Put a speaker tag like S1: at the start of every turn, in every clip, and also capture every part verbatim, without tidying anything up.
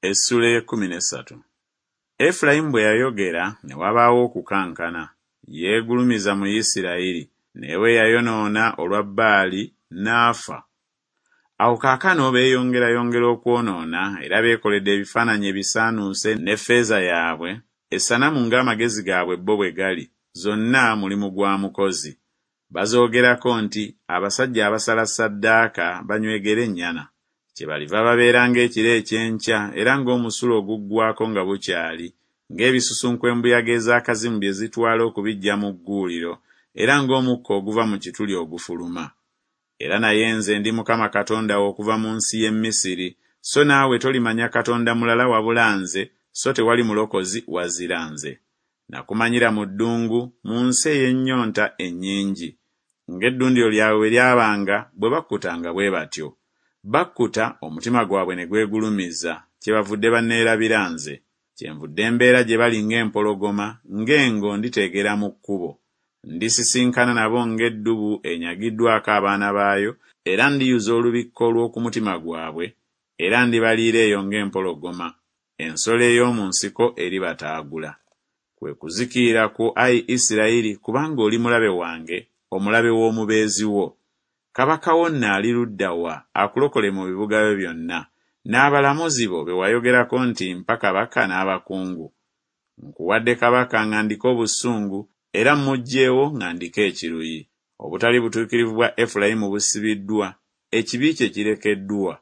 S1: Essuula ey'ekkumi n'essatu. Efulayimu bwe yayogera ne wabaawo okukankana, yeegulumiza mu Isirayiri, naye bwe yayonoona olwa Baali n'afa. Awo kaakano beeyongerayongera okwonoona era beekoledde ebifaananyi ebisaanuuse n'effeeza yaabwe, essanamu ng'amagezi gaabwe bo bwe gali, zonna mulimu gwa mukozi. Bazoogerako nti Abasajja abasala ssaddaaka banywegere ennyana. Kyebaliva babeera ng'ekiro eky'enkya era ng'omusulo oguggwaako nga bukyali, ng'ebisusunku embuyaga ez'akazimu bye zitwala okubiggya mu gguuliro, era ng'omukka oguva mu kituli ogufuluma. Era naye nze ndi Mukama Katonda wo okuva mu nsi y'e Misiri, so naawe tolimanya Katonda mulala wabula nze, so tewali mulokozi wazira nze. Nakumanyira mu ddungu, mu nsi ey'ennyonta ennyingi. Ng'eddundiro lyabwe bwe lyabanga, bwe bakkutanga bwe batyo. Bakkuta, omutima gwabwe ne gwegulumiza, kyebavudde banneerabira nze. Kyenvudde mbeera gye bali ng'empologoma, ng'engo nditeegera mu kkubo. Ndisisinkana nabo ng'eddubu enyagiddwako abaana baayo, era ndiyuza olubikko lw'oku mutima gwabwe, era ndibaliira eyo ng'empologoma, ensolo ey'omu nsiko eribataagula. Kwe kuzikirira kwo, ayi Isirayiri, kubanga oli mulabe wange, omulabe w'omubeezi wo. Kabaka wo nno ali ludda wa akulokole mu bibuga byo byonna, n'abalamuzi bo be wayogerako nti Mpa kabaka n'abakungu? Nkuwadde kabaka nga ndiko obusungu, era mmuggyeewo nga ndiko ekiruyi. Obutali butuukirivu bwa Efulayimu busibiddwa, ekibi kye kirekeddwa.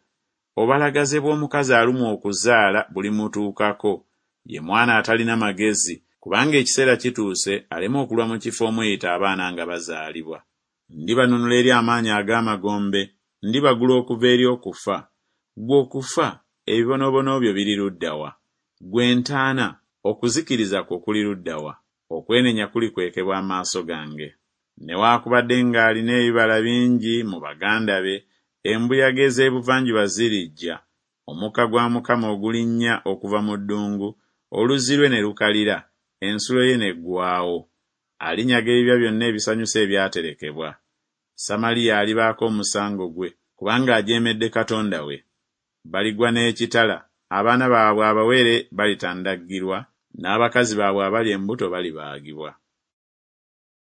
S1: Obalagaze bw'omukazi alumwa okuzaala bulimutuukako, ye mwana atalina magezi, kubanga ekiseera kituuse aleme okulwa mu kifo omuyita abaana nga bazaalibwa. Ndibanunula eri amaanyi ag'amagombe, ndibagula okuva eri okufa. Ggwe okufa, ebibonoobono byo biri ludda wa? Ggwe entaana, okuzikiriza kwo kuli ludda wa? Okwenenya kulikwekebwa amaaso gange. Newaakubadde ng'alina ebibala bingi mu baganda be, embuyaga ez'ebuvanjuba zirijja, omukka gwa Mukama ogulinnya okuva mu ddungu, oluzzi lwe ne lukalira, ensulo ye n'eggwaawo. Alinyaga ebibya byonna ebisanyusa ebyaterekebwa. Samaliya alibaako omusango gwe, kubanga ajeemedde Katonda we. Baligwa n'ekitala, abaana baabwe abawere balitandaggirwa, n'abakazi baabwe abali embuto balibaagibwa.